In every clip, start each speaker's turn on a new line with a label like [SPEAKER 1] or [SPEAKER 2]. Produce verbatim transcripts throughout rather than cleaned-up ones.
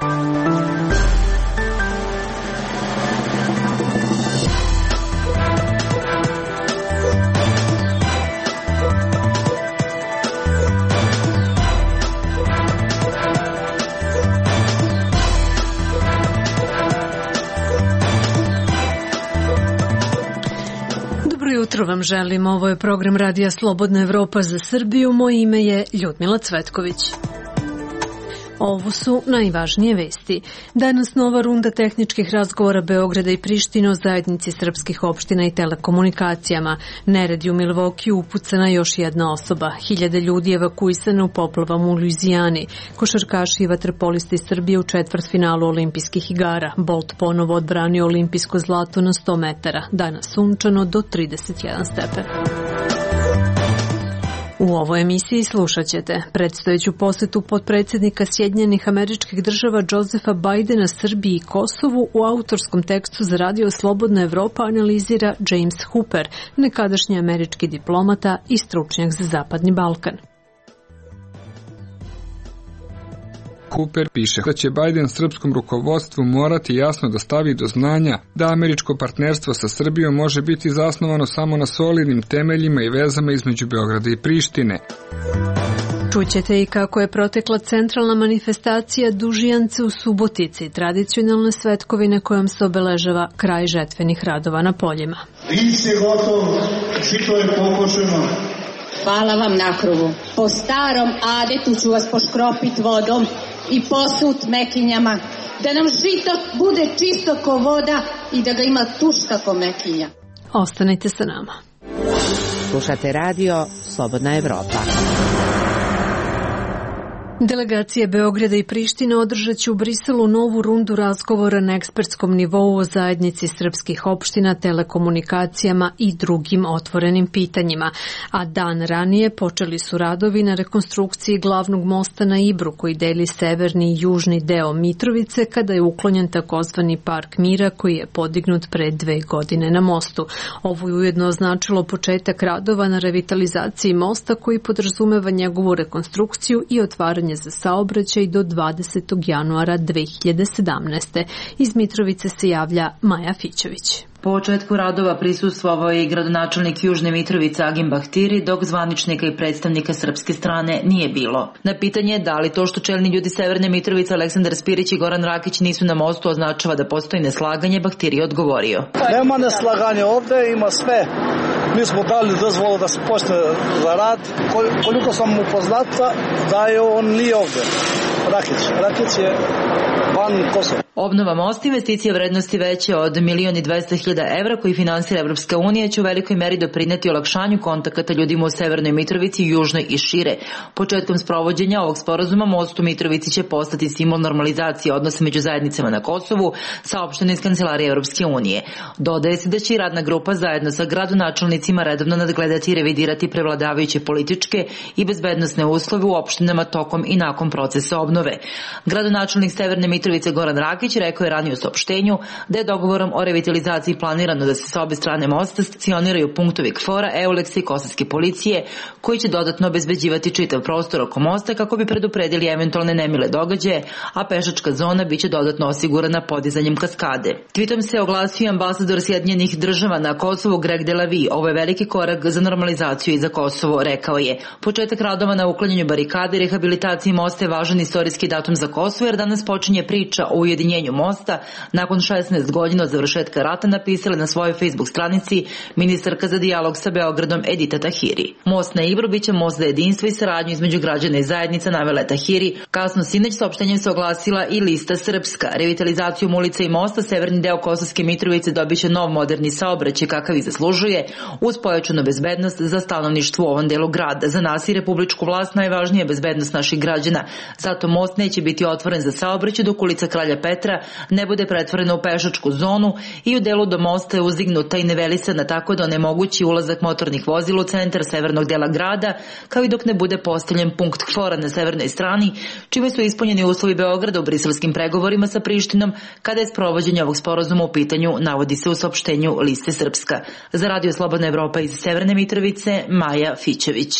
[SPEAKER 1] Jutro vam želim, ovo je program Radija Slobodna Evropa za Srbiju, moje ime je Ljudmila Cvetković. Ovo su najvažnije vesti. Danas nova runda tehničkih razgovora Beograda i Prištine o zajednici srpskih opština i telekomunikacijama. Neredi u Milvokiju, upucana još jedna osoba. Hiljade ljudi evakuisane u poplavama u Luizijani. Košarkaši i vaterpolisti Srbije u četvrtfinalu olimpijskih igara. Bolt ponovo odbranio olimpijsko zlato na sto metara. Danas sunčano do trideset jedan stepen. U ovoj emisiji slušat ćete predstojeću posetu potpredsjednika Sjedinjenih Američkih Država Josefa Bajdena Srbiji i Kosovu u autorskom tekstu za Radio Slobodna Evropa analizira James Hooper, nekadašnji američki diplomata i stručnjak za Zapadni Balkan.
[SPEAKER 2] Hooper piše da će Bajden srpskom rukovodstvu morati jasno da stavi do znanja da američko partnerstvo sa Srbijom može biti zasnovano samo na solidnim temeljima i vezama između Beograda i Prištine.
[SPEAKER 1] Čućete i kako je protekla centralna manifestacija Dužijance u Subotici, tradicionalne svetkovine kojom se obeležava kraj žetvenih radova na poljima.
[SPEAKER 3] Ris je gotov, žito je pokošeno.
[SPEAKER 4] Hvala vam na krugu. Po starom adetu ću vas poškropit vodom i posut mekinjama, da nam žito bude čisto ko voda i da ga ima tuška ko mekinja.
[SPEAKER 1] Ostanite sa nama.
[SPEAKER 5] Slušate radio Slobodna Evropa.
[SPEAKER 1] Delegacije Beograda i Prištine održat će u Briselu novu rundu razgovora na ekspertskom nivou o zajednici srpskih opština, telekomunikacijama i drugim otvorenim pitanjima. A dan ranije počeli su radovi na rekonstrukciji glavnog mosta na Ibru koji deli severni i južni deo Mitrovice kada je uklonjen takozvani Park Mira koji je podignut pre dve godine na mostu. Ovo je ujedno označilo početak radova na revitalizaciji mosta koji podrazumeva njegovu rekonstrukciju i otvaranje za saobraćaj do dvadesetog januara dve hiljade sedamnaeste. Iz Mitrovice se javlja Maja Fićević.
[SPEAKER 6] Po početku radova prisustvovao je i gradonačelnik Južne Mitrovice Agim Bahtiri, dok zvaničnika i predstavnika srpske strane nije bilo. Na pitanje da li to što čelni ljudi Severne Mitrovice Aleksandar Spirić i Goran Rakić nisu na mostu označava da postoji neslaganje, Bahtiri je odgovorio.
[SPEAKER 7] Nema neslaganja ovde, ima sve. Mi smo dali dozvolu da se počne za rad. Koliko sam upoznata da je on nije ovde. Rakić. Rakić je van Kosova.
[SPEAKER 6] Obnova mosta, investicija vrednosti veće od milion i dvesta hiljada evra koji finansira Evropska unija će u velikoj meri doprineti olakšanju kontakata ljudima u Severnoj Mitrovici, južnoj i šire. Početkom sprovođenja ovog sporazuma most u Mitrovici će postati simbol normalizacije odnosa među zajednicama na Kosovu, saopšteno iz Kancelarije Evropske unije. Dodaje se da će i radna grupa zajedno sa gradonačelnicima redovno nadgledati i revidirati prevladavajuće političke i bezbednosne uslove u opštinama tokom i nakon procesa obnove. Gradonačelnik Severne Mitrovice Goran Rakić rekao je ranije u saopštenju da je dogovorom o revitalizaciji planirano da se sa obe strane mosta stacioniraju punktovi KFOR-a, EULEX-a i kosovske policije koji će dodatno obezbeđivati čitav prostor oko mosta kako bi predupredili eventualne nemile događaje, a pešačka zona biće dodatno osigurana podizanjem kaskade. Tweetom se oglasio ambasador Sjedinjenih Država na Kosovu Greg Delavi. Ovo je veliki korak za normalizaciju i za Kosovo, rekao je. Početak radova na uklanjanju barikade i rehabilitaciji mosta je važan istorijski datum za Kosovo jer danas počinje priča o ujedinjenju mosta nakon šesnaest godina od završetka rata, napisala na svojoj Facebook stranici ministarka za dijalog sa Beogradom Edita Tahiri. Most na Ibru biće most za jedinstvo i saradnju između građana i zajednica, navela je Tahiri. Kasno sinoć saopštenjem se oglasila i Lista Srpska. Revitalizacijom ulica i mosta severni deo Kosovske Mitrovice dobiće nov moderni saobraćaj kakav i zaslužuje, uz pojačanu bezbednost za stanovništvo u ovom delu grada. Za nas i republičku vlast najvažnija je bezbednost naših građana. Zato most neće biti otvoren za saobraćaj dok ulica Kralja Petra ne bude pretvorena u pešačku zonu i u delu do mosta je uzdignuta i nivelisana tako da onemogući ulazak motornih vozila u centar severnog dela grada, kao i dok ne bude postavljen punkt KFOR-a na severnoj strani, čime su ispunjeni uslovi Beograda u briselskim pregovorima sa Prištinom kada je sprovođenje ovog sporazuma u pitanju, navodi se u saopštenju Liste Srpska. Za Radio Slobodna Evropa iz Severne Mitrovice, Maja Fićević.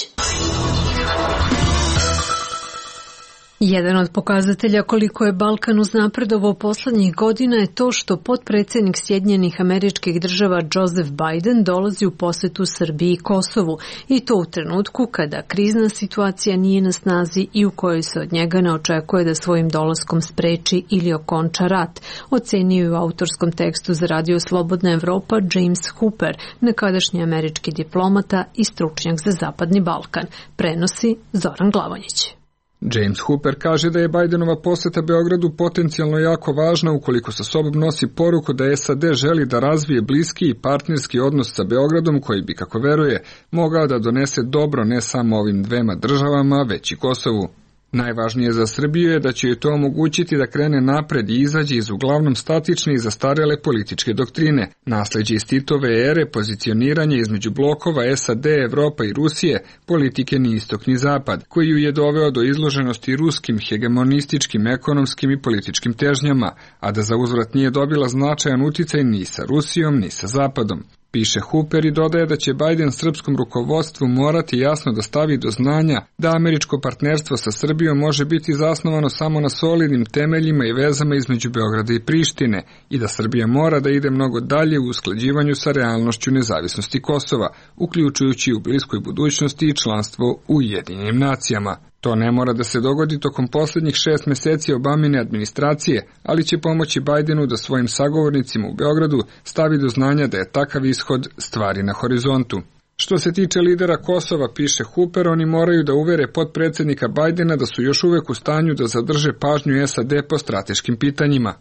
[SPEAKER 1] Jedan od pokazatelja koliko je Balkan uznapredovao poslednjih godina je to što potpredsednik Sjedinjenih Američkih Država Joseph Biden dolazi u posetu Srbiji i Kosovu, i to u trenutku kada krizna situacija nije na snazi i u kojoj se od njega ne očekuje da svojim dolaskom spreči ili okonča rat, ocenio je u autorskom tekstu za Radio Slobodna Evropa James Hooper, nekadašnji američki diplomata i stručnjak za Zapadni Balkan. Prenosi Zoran Glavonjić.
[SPEAKER 2] James Hooper kaže da je Bidenova poseta Beogradu potencijalno jako važna ukoliko sa sobom nosi poruku da S A D želi da razvije bliski i partnerski odnos sa Beogradom koji bi, kako veruje, mogao da donese dobro ne samo ovim dvema državama, već i Kosovu. Najvažnije za Srbiju je da će joj to omogućiti da krene napred i izađe iz uglavnom statične i zastarele političke doktrine, nasleđe iz Titove ere, pozicioniranje između blokova S A D, Evropa i Rusije, politike ni istok ni zapad, koji ju je doveo do izloženosti ruskim hegemonističkim, ekonomskim i političkim težnjama, a da za uzvrat nije dobila značajan uticaj ni sa Rusijom ni sa zapadom. Piše Hooper i dodaje da će Biden srpskom rukovodstvu morati jasno da stavi do znanja da američko partnerstvo sa Srbijom može biti zasnovano samo na solidnim temeljima i vezama između Beograda i Prištine i da Srbija mora da ide mnogo dalje u usklađivanju sa realnošću nezavisnosti Kosova, uključujući u bliskoj budućnosti i članstvo u Ujedinjenim nacijama. To ne mora da se dogodi tokom posljednjih šest meseci Obamine administracije, ali će pomoći Bidenu da svojim sagovornicima u Beogradu stavi do znanja da je takav ishod stvari na horizontu. Što se tiče lidera Kosova, piše Hooper, oni moraju da uvere potpredsednika Bidena da su još uvek u stanju da zadrže pažnju S A D po strateškim pitanjima.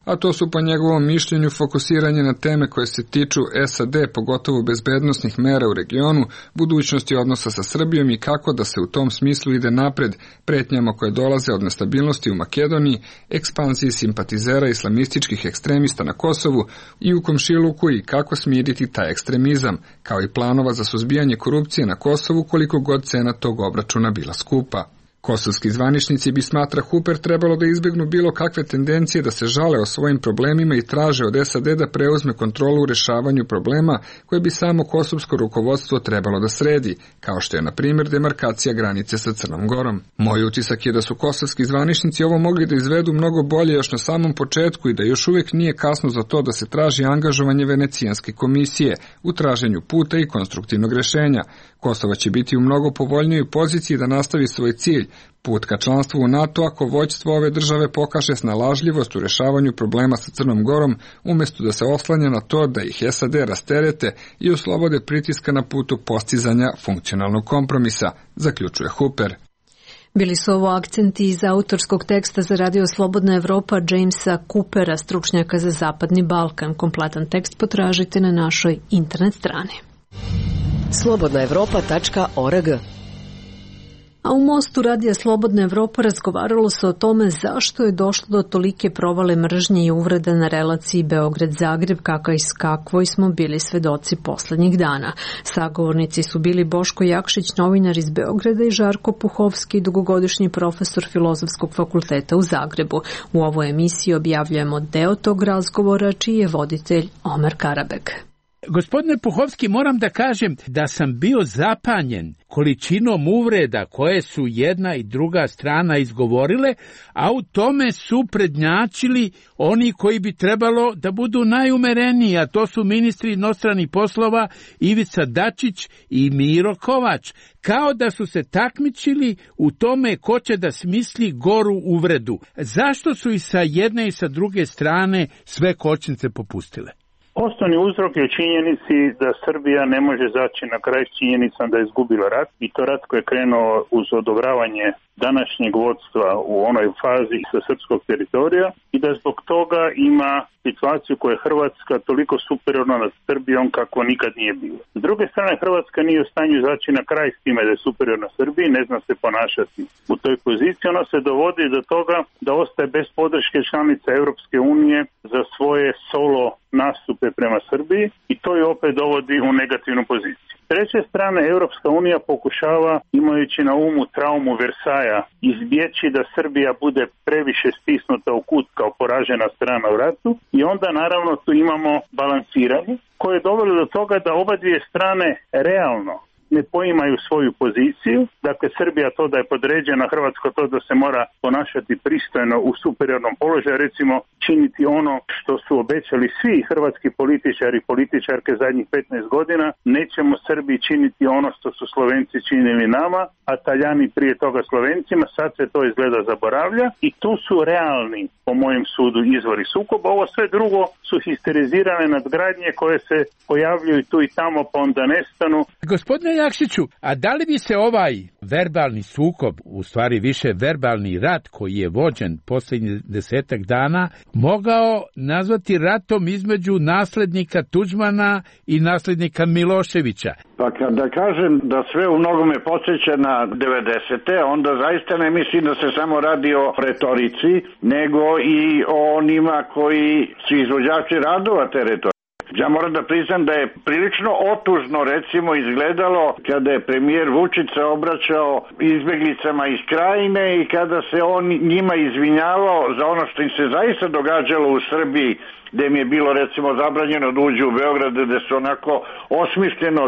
[SPEAKER 2] A to su po njegovom mišljenju fokusiranje na teme koje se tiču S A D, pogotovo bezbednosnih mera u regionu, budućnosti odnosa sa Srbijom i kako da se u tom smislu ide napred, pretnjama koje dolaze od nestabilnosti u Makedoniji, ekspanziji simpatizera islamističkih ekstremista na Kosovu i u komšiluku i kako smiriti taj ekstremizam, kao i planova za suzbijanje korupcije na Kosovu koliko god cena tog obračuna bila skupa. Kosovski zvaničnici bi, smatra Hooper, trebalo da izbegnu bilo kakve tendencije da se žale o svojim problemima i traže od S A D da preuzme kontrolu u rešavanju problema koje bi samo kosovsko rukovodstvo trebalo da sredi, kao što je, na primjer, demarkacija granice sa Crnom Gorom. Moj utisak je da su kosovski zvaničnici ovo mogli da izvedu mnogo bolje još na samom početku i da još uvijek nije kasno za to da se traži angažovanje Venecijanske komisije u traženju puta i konstruktivnog rešenja. Kosova će biti u mnogo povoljnijoj poziciji da nastavi svoj cilj, put ka članstvu u NATO, ako vođstvo ove države pokaže snalažljivost u rešavanju problema sa Crnom Gorom, umjesto da se oslanja na to da ih S A D rasterete i oslobode pritiska na putu postizanja funkcionalnog kompromisa, zaključuje Hooper.
[SPEAKER 1] Bili su ovo akcenti iz autorskog teksta za Radio Slobodna Evropa Jamesa Hoopera, stručnjaka za Zapadni Balkan. Kompletan tekst potražite na našoj internet strani.
[SPEAKER 5] slobodna evropa tačka org.
[SPEAKER 1] A u Mostu Radija Slobodna Evropa razgovaralo se o tome zašto je došlo do tolike provale mržnje i uvreda na relaciji Beograd-Zagreb, kakvoj smo bili svedoci poslednjih dana. Sagovornici su bili Boško Jakšić, novinar iz Beograda, i Žarko Puhovski, dugogodišnji profesor Filozofskog fakulteta u Zagrebu. U ovoj emisiji objavljujemo deo tog razgovora, čiji je voditelj Omer Karabek.
[SPEAKER 8] Gospodine Puhovski, moram da kažem da sam bio zapanjen količinom uvreda koje su jedna i druga strana izgovorile, a u tome su prednjačili oni koji bi trebalo da budu najumereniji, a to su ministri inostranih poslova Ivica Dačić i Miro Kovač, kao da su se takmičili u tome ko će da smisli goru uvredu. Zašto su i sa jedne i sa druge strane sve kočnice popustile?
[SPEAKER 9] Osnovni uzrok je u činjenici da Srbija ne može zaći na kraj s činjenicom da je izgubila rat, i to rat koji je krenuo uz odobravanje današnjeg vodstva u onoj fazi sa srpskog teritorija, i da zbog toga ima situaciju koja je Hrvatska toliko superiorna nad Srbijom kako nikad nije bilo. S druge strane, Hrvatska nije u stanju zaći na kraj s time da je superiorna Srbiji, ne zna se ponašati u toj poziciji. Ona se dovodi do toga da ostaje bez podrške članica Europske unije za svoje solo nastupe prema Srbiji, i to je opet dovodi u negativnu poziciju. S treće strane, Europska unija pokušava, imajući na umu traumu Versaja, izbjeći da Srbija bude previše stisnuta u kut kao poražena strana u ratu, i onda naravno tu imamo balansiranje koje je dovelo do toga da oba dvije strane realno ne poimaju svoju poziciju. Dakle, Srbija to da je podređena, Hrvatska to da se mora ponašati pristojno u superiornom položaju, recimo činiti ono što su obećali svi hrvatski političari i političarke zadnjih petnaest godina, nećemo Srbiji činiti ono što su Slovenci činili nama, a Taljani prije toga Slovencima, sad se to izgleda zaboravlja i tu su realni, po mojem sudu, izvori sukoba. Ovo sve drugo su histerizirane nadgradnje koje se pojavljuju tu i tamo pa onda nestanu.
[SPEAKER 8] Gospodine Jakšiću, a da li bi se ovaj verbalni sukob, u stvari više verbalni rat koji je vođen posljednjih desetak dana, mogao nazvati ratom između naslednika Tuđmana i naslednika Miloševića?
[SPEAKER 10] Pa kada kažem da sve u mnogome podsjeća na devedesete, onda zaista ne mislim da se samo radi o retorici, nego i o onima koji su izvođači radova te retorike. Ja moram da priznam da je prilično otužno recimo izgledalo kada je premijer Vučić se obraćao izbeglicama iz Krajine i kada se on njima izvinjavao za ono što im se zaista događalo u Srbiji, gde im je bilo recimo zabranjeno da uđu u Beograd, gde su onako osmišljeno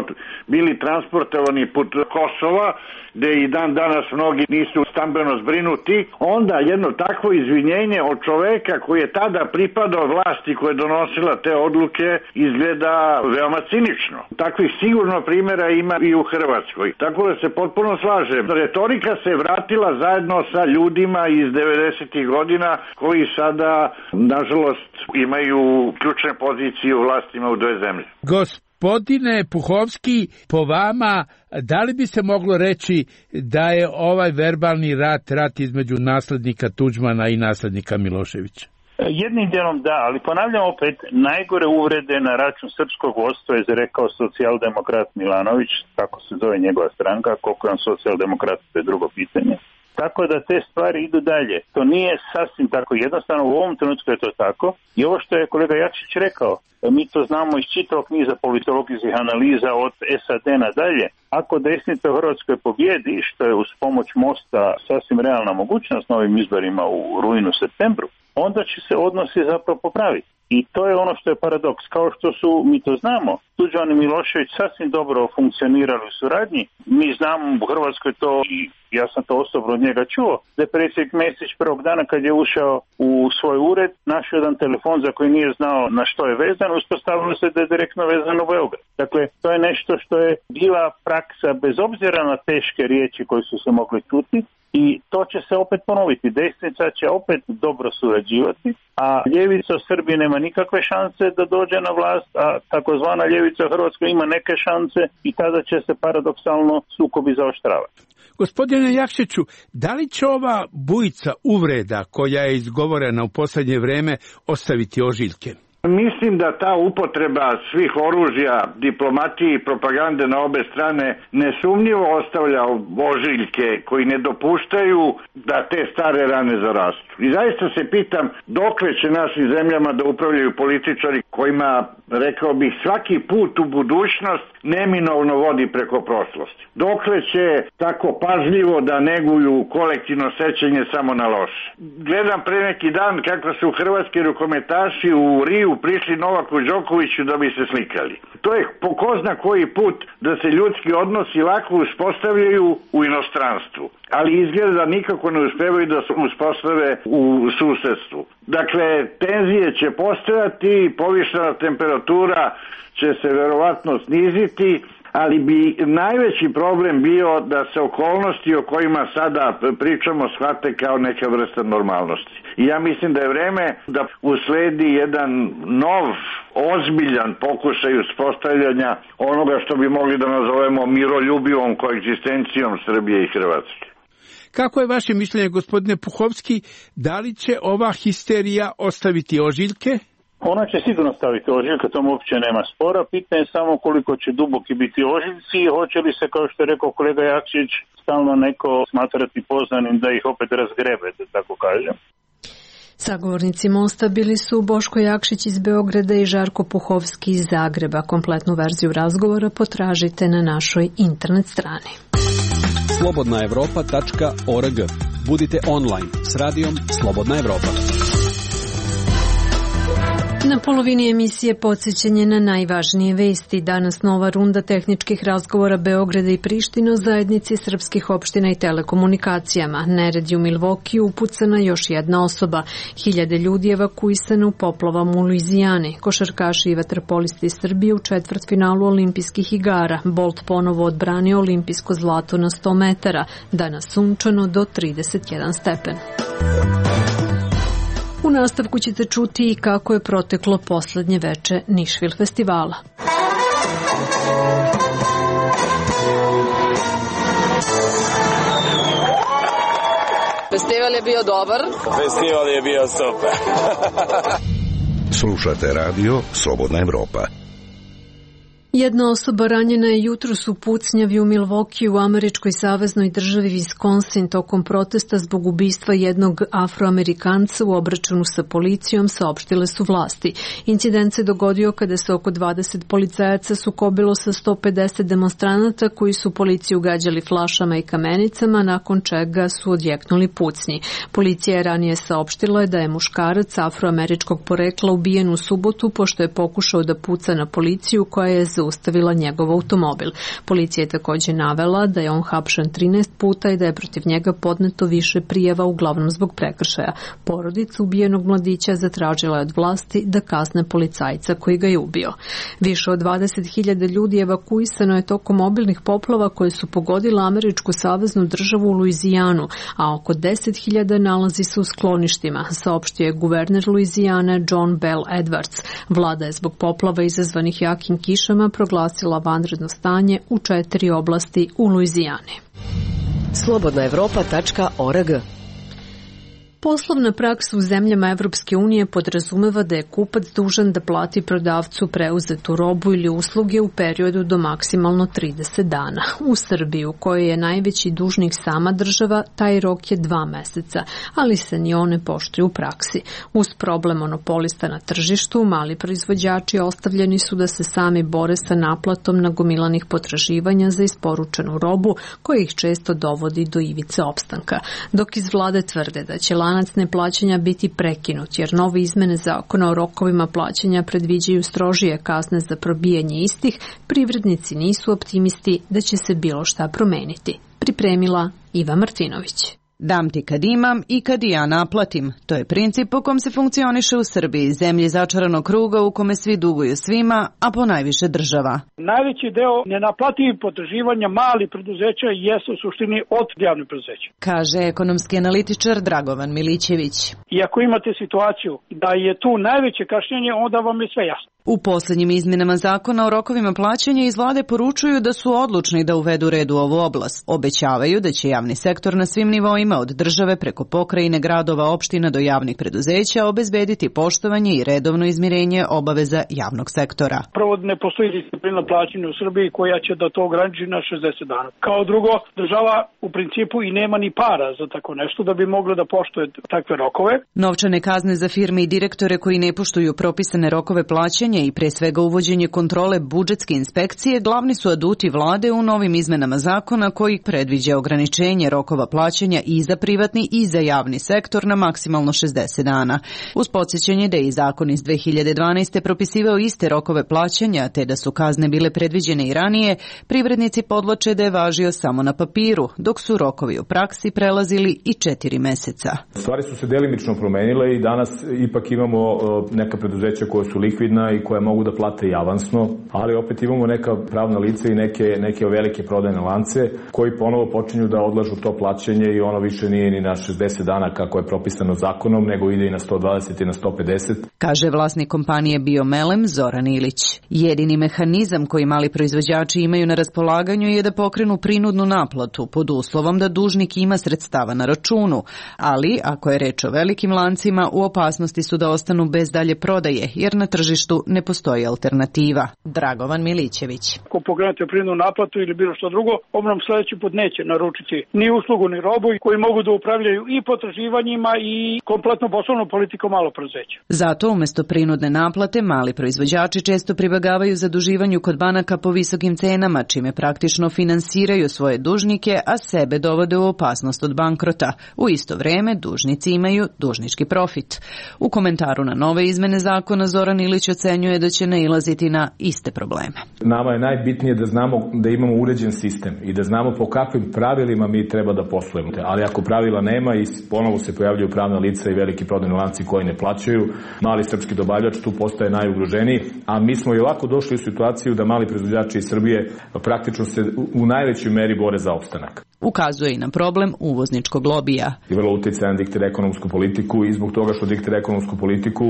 [SPEAKER 10] bili transportovani put Kosova, gde i dan danas mnogi nisu stambeno zbrinuti, onda jedno takvo izvinjenje od čoveka koji je tada pripadao vlasti koja je donosila te odluke izgleda veoma cinično. Takvih sigurno primjera ima i u Hrvatskoj. Tako da se potpuno slažem. Retorika se vratila zajedno sa ljudima iz devedesetih godina koji sada, nažalost, imaju ključne pozicije u vlastima u dve zemlje.
[SPEAKER 8] Gospodine Puhovski, po vama, da li bi se moglo reći da je ovaj verbalni rat, rat između naslednika Tuđmana i naslednika Miloševića?
[SPEAKER 9] Jednim dijelom da, ali ponavljam opet, najgore uvrede na račun srpskog vodstva je rekao socijaldemokrat Milanović, tako se zove njegova stranka, koliko je on socijaldemokrat, to je drugo pitanje. Tako da te stvari idu dalje. To nije sasvim tako jednostavno, u ovom trenutku je to tako. I ovo što je kolega Jakšić rekao, mi to znamo iz čitavog niza politologijskih analiza od S A D nadalje. Ako desnica u Hrvatskoj pobjedi, što je uz pomoć Mosta sasvim realna mogućnost na ovim izborima u rujnu, septembru, onda će se odnosi zapravo popraviti. I to je ono što je paradoks. Kao što su, mi to znamo, Tuđman i Milošević sasvim dobro funkcionirali u suradnji. Mi znamo u Hrvatskoj to, i ja sam to osobno od njega čuo, da je predsjednik Mesić prvog dana kad je ušao u svoj ured, našao jedan telefon za koji nije znao na što je vezan, uspostavilo se da je direktno vezano u Beograd. Dakle, to je nešto što je bila praksa bez obzira na teške riječi koje su se mogli čuti. I to će se opet ponoviti. Desnica će opet dobro surađivati, a ljevica u Srbiji nema nikakve šanse da dođe na vlast, a takozvana ljevica u Hrvatskoj ima neke šanse i tada će se paradoksalno sukobi zaoštravati.
[SPEAKER 8] Gospodine Jakšiću, da li će ova bujica uvreda koja je izgovorena u posljednje vreme ostaviti ožiljke?
[SPEAKER 10] Mislim da ta upotreba svih oružja, diplomatije i propagande na obe strane nesumnjivo ostavlja ožiljke koji ne dopuštaju da te stare rane zarastu. I zaista se pitam dokle će našim zemljama da upravljaju političari kojima, rekao bih, svaki put u budućnost neminovno vodi preko prošlosti. Dokle će tako pažljivo da neguju kolektivno sećanje samo na loše. Gledam pre neki dan kako su hrvatski rukometaši u Riju prišli Novaku Đokoviću da bi se slikali. To je po ko zna koji put da se ljudski odnosi lako uspostavljaju u inostranstvu, ali izgleda da nikako ne uspevaju da se uspostave u susedstvu. Dakle, tenzije će postojati, povišena temperatura će se verovatno sniziti, ali bi najveći problem bio da se okolnosti o kojima sada pričamo shvate kao neka vrsta normalnosti. I ja mislim da je vreme da usledi jedan nov, ozbiljan pokušaj uspostavljanja onoga što bi mogli da nazovemo miroljubivom koegzistencijom Srbije i Hrvatske.
[SPEAKER 8] Kako je vaše mišljenje, gospodine Puhovski, da li će ova histerija ostaviti ožiljke?
[SPEAKER 9] Ona će sigurno staviti ožiljke, tomu uopće nema spora. Pitanje je samo koliko će duboki biti ožiljci i hoće li se, kao što je rekao kolega Jakšić, stalno neko smatrati poznanim da ih opet razgrebe, da tako kažem.
[SPEAKER 1] Sagovornici Mosta bili su Boško Jakšić iz Beograda i Žarko Puhovski iz Zagreba. Kompletnu verziju razgovora potražite na našoj internet strani.
[SPEAKER 11] slobodna evropa tačka org. Budite online s radijom Slobodna Evropa.
[SPEAKER 1] Na polovini emisije podsjećanje na najvažnije vesti. Danas nova runda tehničkih razgovora Beograda i Prištine o zajednici srpskih opština i telekomunikacijama. Nered je u Milvokiju, upucana još jedna osoba. Hiljade ljudi evakuisane u poplavama u Luizijani. Košarkaši i vaterpolisti iz Srbije u četvrtfinalu olimpijskih igara. Bolt ponovo odbranio olimpijsko zlato na sto metara. Danas sunčano do trideset jedan stepen. U nastavku ćete čuti i kako je proteklo poslednje veče Nišvil festivala.
[SPEAKER 12] Festival je bio dobar.
[SPEAKER 13] Festival je bio super.
[SPEAKER 14] Slušate radio Slobodna Evropa.
[SPEAKER 1] Jedna osoba ranjena je jutros u pucnjavi u Milvokiju u američkoj saveznoj državi Wisconsin tokom protesta zbog ubistva jednog Afroamerikanca u obračunu sa policijom, saopštile su vlasti. Incident se dogodio kada se oko dvadeset policajaca sukobilo sa sto pedeset demonstranata koji su policiju gađali flašama i kamenicama, nakon čega su odjeknuli pucnji. Policija je ranije saopštila da je muškarac afroameričkog porekla ubijen u subotu pošto je pokušao da puca na policiju koja je zaustavila njegov automobil. Policija je također navela da je on hapšen trinaest puta i da je protiv njega podneto više prijava, uglavnom zbog prekršaja. Porodica ubijenog mladića zatražila je od vlasti da kazne policajca koji ga je ubio. Više od dvadeset hiljada ljudi evakuisano je tokom obilnih poplava koje su pogodile američku saveznu državu u Luizijanu, a oko deset hiljada nalazi se u skloništima, saopštio je guverner Luizijane John Bell Edwards. Vlada je zbog poplava izazvanih jakim kišama proglasila vanredno stanje u četiri oblasti u Luizijani.
[SPEAKER 5] slobodna evropa tačka org.
[SPEAKER 1] Poslovna praksa u zemljama Evropske unije podrazumeva da je kupac dužan da plati prodavcu preuzetu robu ili usluge u periodu do maksimalno trideset dana. U Srbiji, u kojoj je najveći dužnik sama država, taj rok je dva meseca, ali se ni one poštuju u praksi. Uz problem monopolista na tržištu, mali proizvođači ostavljeni su da se sami bore sa naplatom nagomilanih potraživanja za isporučenu robu, koja ih često dovodi do ivice opstanka. Dok iz vlade tvrde da će lanac neplaćanja biti prekinut, jer nove izmene zakona o rokovima plaćanja predviđaju strožije kazne za probijanje istih, privrednici nisu optimisti da će se bilo šta promeniti. Pripremila Iva Martinović.
[SPEAKER 15] Dam ti kad imam i kad i ja naplatim. To je princip po kom se funkcioniše u Srbiji, zemlji začaranog kruga u kome svi duguju svima, a po najviše država.
[SPEAKER 16] Najveći deo nenaplativih potraživanja malih preduzeća jesu u suštini od javnih preduzeća,
[SPEAKER 15] kaže ekonomski analitičar Dragovan Milićević.
[SPEAKER 16] I ako imate situaciju da je tu najveće kašnjenje, onda vam je sve jasno.
[SPEAKER 15] U posljednjim izmjenama zakona o rokovima plaćanja iz vlade poručuju da su odlučni da uvedu red u ovu oblast. Obećavaju da će javni sektor na svim nivoima od države preko pokrajine, gradova, opština do javnih preduzeća obezbediti poštovanje i redovno izmirenje obaveza javnog sektora.
[SPEAKER 16] Prvo, ne postoji disciplina plaćanja u Srbiji koja će da to ograniči na šezdeset dana. Kao drugo, država u principu i nema ni para za tako nešto da bi mogla da poštuje takve rokove.
[SPEAKER 15] Novčane kazne za firme i direktore koji ne poštuju propisane rokove plaćanja i pre svega uvođenje kontrole budžetske inspekcije glavni su aduti vlade u novim izmenama zakona koji predviđa ograničenje rokova plaćanja i za privatni i za javni sektor na maksimalno šezdeset dana. Uz podsjećanje da je i zakon iz dve hiljade dvanaeste. propisivao iste rokove plaćanja, te da su kazne bile predviđene i ranije, privrednici podvlače da je važio samo na papiru, dok su rokovi u praksi prelazili i četiri meseca.
[SPEAKER 17] Stvari su se delimično promenile i danas ipak imamo neka preduzeća koja su likvidna i koja mogu da plate i avansno, ali opet imamo neka pravna lica i neke, neke velike prodajne lance koji ponovo počinju da odlažu to plaćanje i ono više nije ni na šezdeset dana kako je propisano zakonom, nego ide i na sto dvadeset i na sto pedeset.
[SPEAKER 15] Kaže vlasnik kompanije Biomelem Zoran Ilić. Jedini mehanizam koji mali proizvođači imaju na raspolaganju je da pokrenu prinudnu naplatu pod uslovom da dužnik ima sredstava na računu, ali ako je reč o velikim lancima, u opasnosti su da ostanu bez dalje prodaje, jer na tržištu ne postoji alternativa. Dragovan Milićević.
[SPEAKER 16] Ako pogledate prinudnu naplatu ili bilo što drugo, on nam sledeći put neće naručiti ni uslugu ni robu koji mogu da upravljaju i potraživanjima i kompletno poslovnom politikom malog preduzeća.
[SPEAKER 15] Zato umesto prinudne naplate mali proizvođači često pribegavaju zaduživanju kod banaka po visokim cenama, čime praktično finansiraju svoje dužnike, a sebe dovode u opasnost od bankrota. U isto vreme dužnici imaju dužnički profit. U komentaru na nove izmene zakona Zoran Ilić ocenjuje da će nailaziti na iste probleme.
[SPEAKER 17] Nama je najbitnije da znamo da imamo uređen sistem i da znamo po kakvim pravilima mi treba da poslujemo. Ali ako pravila nema i ponovo se pojavljaju pravna lica i veliki prodajni lanci koji ne plaćaju, mali srpski dobavljač tu postaje najugroženiji, a mi smo i ovako došli u situaciju da mali proizvođači iz Srbije praktično se u najvećoj meri bore za opstanak.
[SPEAKER 15] Ukazuje i na problem uvozničkog lobija.
[SPEAKER 17] I vrlo uticajan diktira ekonomsku politiku i zbog toga što diktira ekonomsku politiku,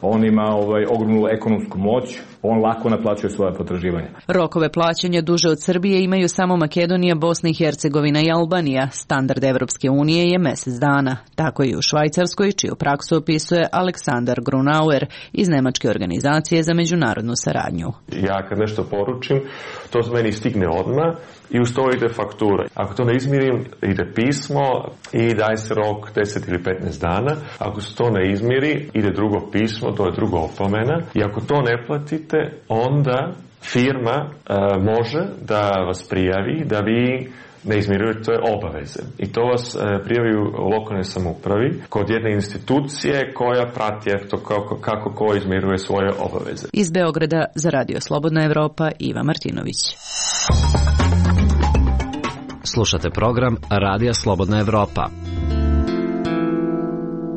[SPEAKER 17] on ima ovaj, ogromnu ekonomsku moć, on lako naplaćuje svoje potraživanja.
[SPEAKER 15] Rokove plaćanja duže od Srbije imaju samo Makedonija, Bosna i Hercegovina i Albanija. Standard Evropske unije je mesec dana. Tako i u Švajcarskoj, čiju praksu opisuje Aleksandar Grunauer iz Nemačke organizacije za međunarodnu saradnju.
[SPEAKER 12] Ja kad nešto poručim, to meni stigne odmah i uz to ide faktura. Ako to ne izmirim, ide pismo i daje se rok deset ili petnaest dana. Ako se to ne izmiri, ide drugo pismo, to je druga opomena. I ako to ne platite, onda firma e, može da vas prijavi da vi ne izmirujete obaveze. I to vas e, prijavi u lokalnoj samoupravi kod jedne institucije koja prati eto kako, kako ko izmiruje svoje obaveze.
[SPEAKER 15] Iz Beograda za Radio Slobodna Evropa, Iva Martinović.
[SPEAKER 18] Slušate program Radija Slobodna Evropa.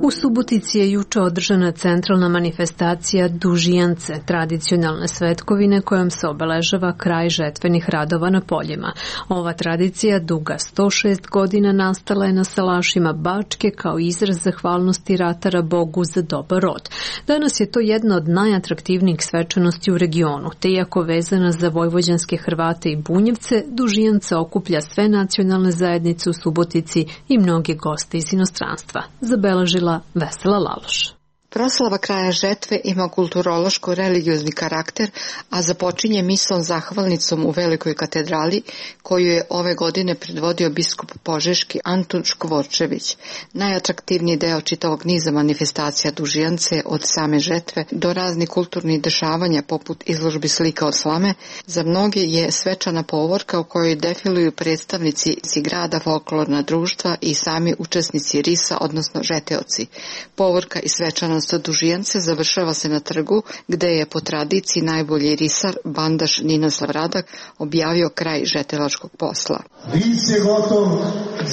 [SPEAKER 1] U Subotici je juče održana centralna manifestacija Dužijance, tradicionalne svetkovine kojom se obeležava kraj žetvenih radova na poljima. Ova tradicija, duga sto šest godina, nastala je na salašima Bačke kao izraz zahvalnosti ratara Bogu za dobar rod. Danas je to jedna od najatraktivnijih svečanosti u regionu, te iako vezana za vojvođanske Hrvate i Bunjevce, Dužijance okuplja sve nacionalne zajednice u Subotici i mnoge goste iz inostranstva. Zabeležila Vesela Laloš.
[SPEAKER 19] Proslava kraja žetve ima kulturološko-religiozni karakter, a započinje mislom zahvalnicom u Velikoj katedrali, koju je ove godine predvodio biskup požeški Antun Škvorčević. Najatraktivniji deo čitavog niza manifestacija Dužijance od same žetve do raznih kulturnih dešavanja poput izložbi slika od slame, za mnoge je svečana povorka u kojoj defiluju predstavnici grada, folklorna društva i sami učesnici risa, odnosno žeteoci. Povorka i svečanost Dužijance završava se na trgu, gde je po tradiciji najbolji risar, bandaš Ninoslav Radak, objavio kraj žetelačkog posla.
[SPEAKER 3] Ric je gotov,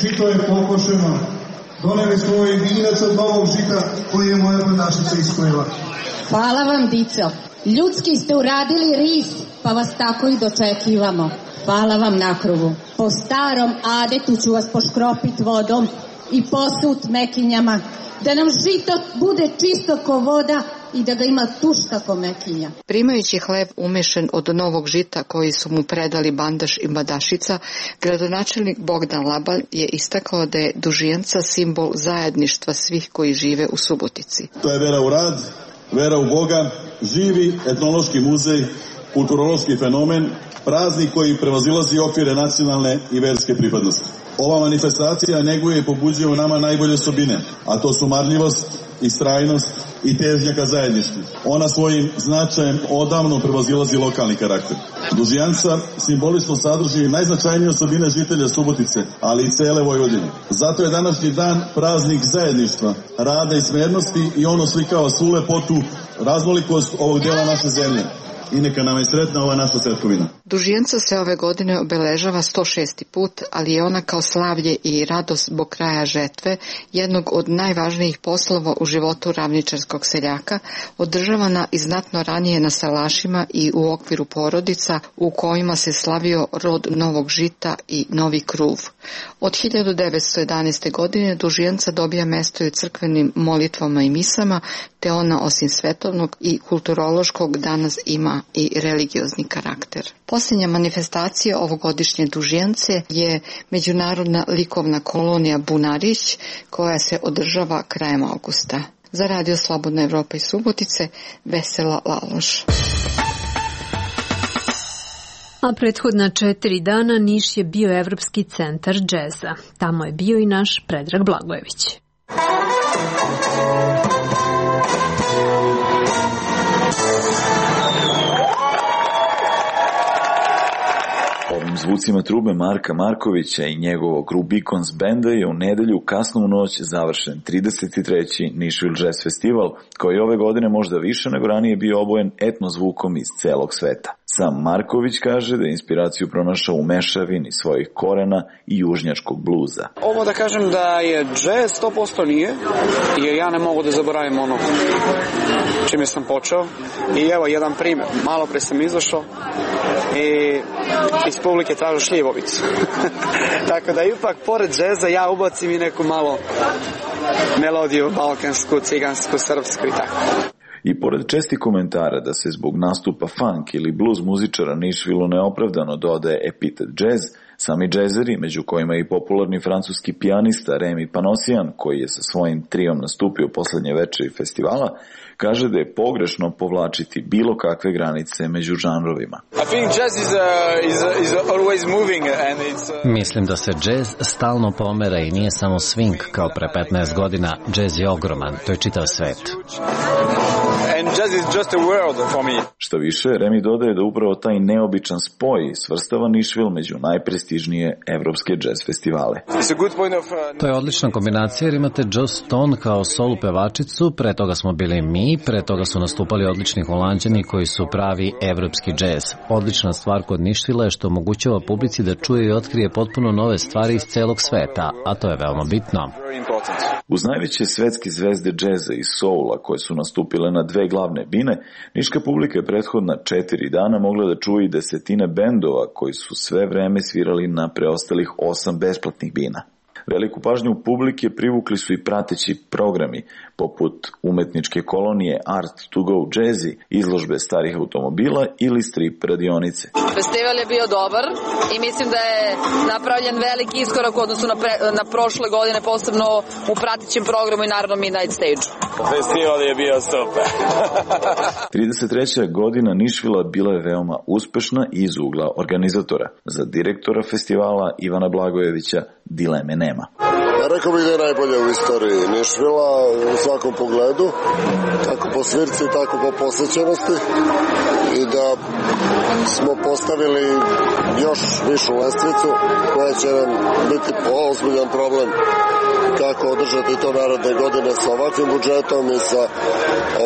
[SPEAKER 3] žito je pokošeno, doneli smo ovaj vinac od novog žita koji je moja bandašica iskojila.
[SPEAKER 4] Hvala vam, dico. Ljudski ste uradili ris, pa vas tako i dočekivamo. Hvala vam na krugu. Po starom adetu ću vas poškropit vodom i posut mekinjama, da nam žito bude čisto ko voda i da ga ima tušta ko mekinja.
[SPEAKER 19] Primajući hleb umešan od novog žita koji su mu predali bandaš i badašica, gradonačelnik Bogdan Labalj je istakao da je Dužijanca simbol zajedništva svih koji žive u Subotici.
[SPEAKER 20] To je vera u rad, vera u Boga, živi etnološki muzej, kulturološki fenomen, praznik koji prevazilazi okvire nacionalne i verske pripadnosti. Ova manifestacija neguje i pobuđuje u nama najbolje osobine, a to su marljivost, istrajnost i težnja ka zajedništvu. Ona svojim značajem odavno prevazilazi lokalni karakter. Dužijanca simbolično sadrži najznačajnije osobine žitelja Subotice, ali i cele Vojvodine. Zato je današnji dan praznik zajedništva, rada i smernosti i ono slikava svu lepotu, raznolikost ovog dela naše zemlje. I neka nam je sretna ova naša svetkovina.
[SPEAKER 19] Dužijanca se ove godine obeležava sto šesti put, ali je ona kao slavlje i radost zbog kraja žetve, jednog od najvažnijih poslova u životu ravničarskog seljaka, održavana i znatno ranije na salašima i u okviru porodica u kojima se slavio rod novog žita i novi kruv. Od hiljadu devetsto jedanaeste. godine Dužijanca dobija mesto i u crkvenim molitvama i misama, te ona osim svetovnog i kulturološkog danas ima i religiozni karakter. Posljednja manifestacija ovogodišnje Dužijance je međunarodna likovna kolonija Bunarić, koja se održava krajem avgusta. Za Radio Slobodna Evropa iz Subotice, Vesela Laloš.
[SPEAKER 1] A prethodna četiri dana Niš je bio Evropski centar džeza. Tamo je bio i naš Predrag Blagojević.
[SPEAKER 21] Ovim zvucima trube Marka Markovića i njegovog Rubicons benda je u nedelju kasno u noć završen trideset treći Nashville Jazz Festival, koji ove godine možda više nego ranije bio obojen etno zvukom iz celog sveta. Sam Marković kaže da je inspiraciju pronašao u mešavini svojih korena i južnjačkog bluza.
[SPEAKER 22] Ovo da kažem da je džez sto posto nije, jer ja ne mogu da zaboravim ono čime sam počeo. I evo jedan primjer, malo pre sam izašao i iz publike tražu šljivovicu. Tako da ipak pored džeza ja ubacim i neku malo melodiju balkansku, cigansku, srpsku i tako.
[SPEAKER 21] I pored česti komentara da se zbog nastupa funk ili blues muzičara Nashville neopravdano dodaje epitet jazz, sami džezeri, među kojima je i popularni francuski pijanista Remy Panosian, koji je sa svojim triom nastupio poslednje večeri festivala, kaže da je pogrešno povlačiti bilo kakve granice među žanrovima.
[SPEAKER 18] Mislim da se džez stalno pomera i nije samo swing kao pre petnaest godina, džez je ogroman, to je čitav svet.
[SPEAKER 22] And jazz is just a world for me.
[SPEAKER 21] Što više, Remy dodaje da upravo taj neobičan spoj svrstava Nashville među najprestižnije evropske džez festivale.
[SPEAKER 18] To je odlična kombinacija jer imate Joss Stone kao solo pevačicu, pre toga smo bili mi, pre toga su nastupali odlični Holanđani koji su pravi evropski džez. Odlična stvar kod Nashville je što omogućava publici da čuje i otkrije potpuno nove stvari iz celog sveta, a to je veoma bitno.
[SPEAKER 21] Uz najveće svetske zvezde džeza i soula koje su nastupile na dve glavne bine, niška publika je prethodna četiri dana mogla da čuje i desetine bendova koji su sve vreme svirali na preostalih osam besplatnih bina. Veliku pažnju publike privukli su i prateći programi, poput umetničke kolonije Art to Go Jazzy, izložbe starih automobila ili strip radionice.
[SPEAKER 23] Festival je bio dobar i mislim da je napravljen veliki iskorak u odnosu na, pre, na prošle godine, posebno u pratećem programu i naravno Midnight Stage.
[SPEAKER 13] Festival je bio super.
[SPEAKER 21] trideset treća godina Nashvilla bila je veoma uspešna iz ugla organizatora. Za direktora festivala Ivana Blagojevića dileme nema.
[SPEAKER 24] Rekao bih da je najbolje u istoriji Nashvilla u svakom pogledu, kako po svirci, tako po posvećenosti, i da smo postavili još višu lestvicu koja će nam biti ozbiljan problem kako održati to naredne godine sa ovakvim budžetom i sa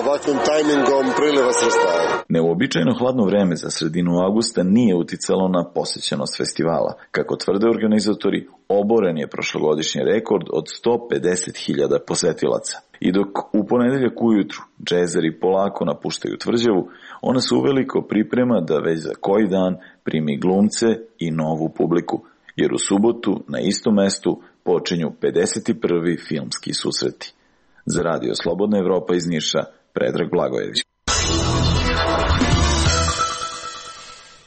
[SPEAKER 24] ovakvim tajmingom priliva sredstava.
[SPEAKER 21] Neuobičajeno hladno vreme za sredinu avgusta nije uticalo na posjećenost festivala. Kako tvrde organizatori, oboren je prošlogodišnji rekord od sto pedeset hiljada posetilaca. I dok u ponedeljak ujutru džezeri polako napuštaju tvrđavu, ona se uveliko priprema da već za koji dan primi glumce i novu publiku, jer u subotu na istom mestu počinju pedeset prvi filmski susreti. Za Radio Slobodna Evropa iz Niša, Predrag Blagojević.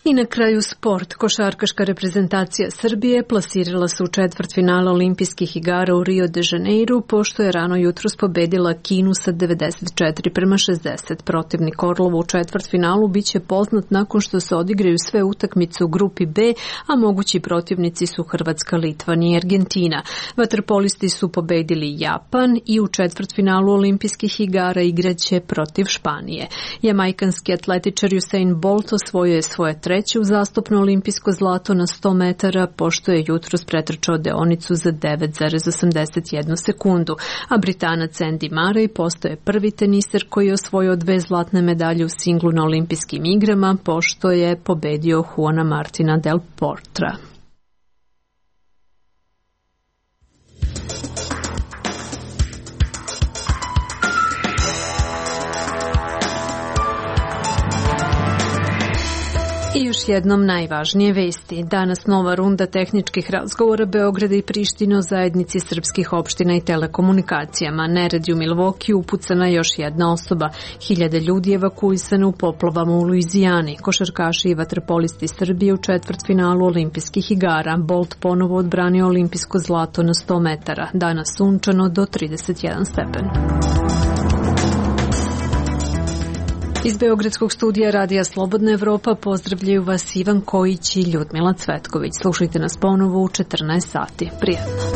[SPEAKER 1] I na kraju sport. Košarkaška reprezentacija Srbije plasirala se u četvrtfinale olimpijskih igara u Rio de Janeiru, pošto je rano jutros pobedila Kinu sa devedeset četiri prema šezdeset. Protivnik Orlova u četvrtfinalu biće poznat nakon što se odigraju sve utakmice u grupi B, a mogući protivnici su Hrvatska, Litvanija i Argentina. Vaterpolisti su pobedili Japan i u četvrtfinalu olimpijskih igara igraće protiv Španije. Jamajkanski atletičar Usain Bolt osvojio je svoje treće uzastopno olimpijsko zlato na sto metara, pošto je jutros pretrčao deonicu za devet zarez osamdeset jednu sekundu, a Britanac Andy Murray postaje prvi teniser koji je osvojio dve zlatne medalje u singlu na olimpijskim igrama, pošto je pobedio Juana Martina del Potra. I još jednom najvažnije vesti. Danas nova runda tehničkih razgovora Beograda i Prištine o zajednici srpskih opština i telekomunikacijama. Neredi u Milvokiju upucana još jedna osoba. Hiljade ljudi evakuisane u poplavama u Luizijani. Košarkaši i vaterpolisti Srbije u četvrtfinalu olimpijskih igara. Bolt ponovo odbranio olimpijsko zlato na sto metara. Danas sunčano do trideset jedan stepen. Iz Beogradskog studija Radija Slobodna Evropa pozdravljaju vas Ivan Kojić i Ljudmila Cvetković. Slušajte nas ponovo u četrnaest sati. Prijatno.